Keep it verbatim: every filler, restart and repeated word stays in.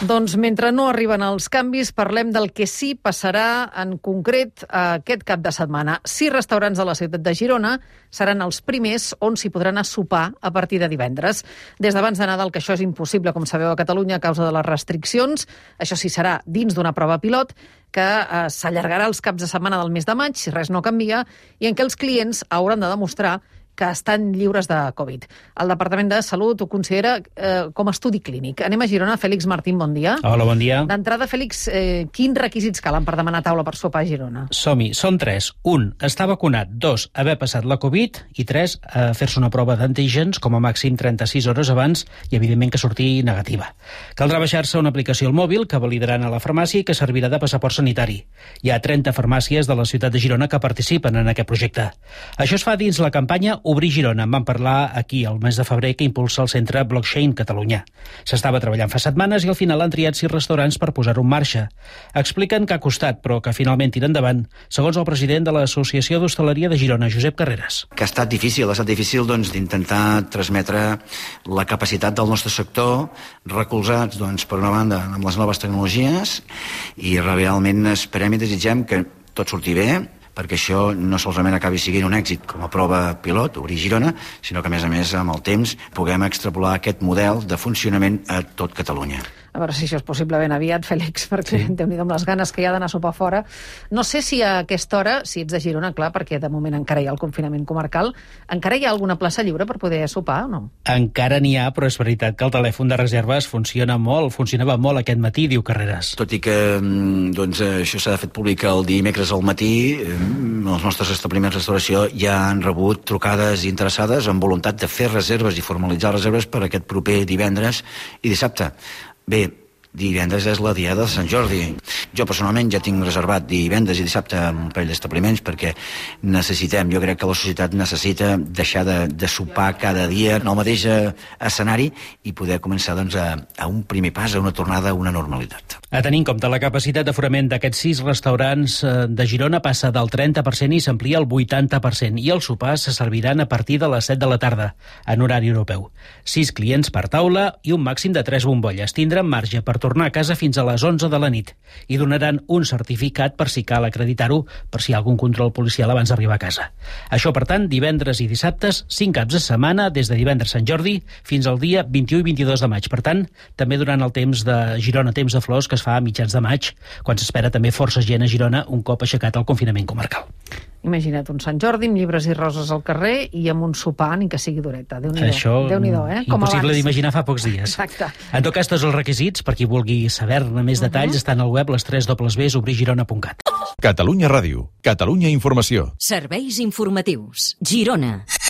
Doncs mentre no arriben els canvis, parlem del que sí passarà en concret aquest cap de setmana. Sis restaurants de la ciutat de Girona seran els primers on s'hi podran anar a sopar a partir de divendres. Des d'abans de Nadal, que això és impossible, com sabeu, a Catalunya a causa de les restriccions. Això sí serà dins d'una prova pilot que eh, s'allargarà els caps de setmana del mes de maig, si res no canvia, i en què els clients hauran de demostrar que estan lliures de Covid. El Departament de Salut ho considera eh, com a estudi clínic. Anem a Girona. Fèlix Martín, bon dia. Hola, bon dia. D'entrada, Fèlix, eh, quins requisits calen per demanar taula per sopar a Girona? Som-hi. Són tres. Un, estar vacunat. Dos, haver passat la Covid. I tres, eh, fer-se una prova d'antígens com a màxim trenta-sis hores abans i, evidentment, que surti negativa. Caldrà baixar-se una aplicació al mòbil que validaran a la farmàcia i que servirà de passaport sanitari. Hi ha trenta farmàcies de la ciutat de Girona que participen en aquest projecte. Això es fa dins la campanya Obrir Girona. En vam parlar aquí el mes de febrer, que impulsa el centre Blockchain Catalunya. S'estava treballant fa setmanes i al final han triat sis restaurants per posar-ho en marxa. Expliquen que ha costat, però que finalment tira endavant, segons el president de l'Associació d'Hostaleria de Girona, Josep Carreras. Que ha estat difícil, ha estat difícil doncs, d'intentar transmetre la capacitat del nostre sector, recolzats doncs, per una banda amb les noves tecnologies, i realment esperem i desitgem que tot surti bé, perquè això no solament acabi sent un èxit com a prova pilot, Obrir Girona, sinó que, a més a més, amb el temps, puguem extrapolar aquest model de funcionament a tot Catalunya. A veure si això és possible ben aviat, Fèlix, perquè sí. Déu-n'hi-do amb les ganes que hi ha d'anar a sopar fora. No sé si a aquesta hora, si ets de Girona, clar, perquè de moment encara hi ha el confinament comarcal, encara hi ha alguna plaça lliure per poder sopar o no? Encara n'hi ha, però és veritat que el telèfon de reserves funciona molt, funcionava molt aquest matí, diu Carreras. Tot i que doncs, això s'ha fet públic el dimecres al matí, els nostres establiments de restauració ja han rebut trucades interessades amb voluntat de fer reserves i formalitzar reserves per aquest proper divendres i dissabte. Bé, divendres és la diada de Sant Jordi. Jo personalment ja tinc reservat divendres i dissabte un parell d'establiments perquè necessitem, jo crec que la societat necessita deixar de, de sopar cada dia en el mateix escenari i poder començar doncs, a, a un primer pas, a una tornada a una normalitat. A tenir en compte la capacitat d'aforament d'aquests sis restaurants de Girona passa del trenta per cent i s'amplia al vuitanta per cent i els sopars se serviran a partir de les set de la tarda, en horari europeu. Sis clients per taula i un màxim de tres bombolles. Tindran marge per tornar a casa fins a les onze de la nit i donaran un certificat per si cal acreditar-ho, per si hi ha algun control policial abans d'arribar a casa. Això, per tant, divendres i dissabtes, cinc caps de setmana, des de divendres Sant Jordi fins al dia vint-i-u i vint-i-dos de maig. Per tant, també durant el temps de Girona, temps de flors, que es fa a mitjans de maig, quan s'espera també força gent a Girona un cop aixecat el confinament comarcal. Imagina't un Sant Jordi amb llibres i roses al carrer i amb un sopar, ni que sigui dureta. Déu-n'hi-do. Això, Déu-n'hi-do, eh? Com impossible abans. d'imaginar fa pocs dies. Exacte. En tot cas, tots els requisits, per qui vulgui saber-ne més detalls, uh-huh. estan al web les tres dobles ves obrir girona punt cat. Catalunya Ràdio. Catalunya Informació. Serveis informatius. Girona.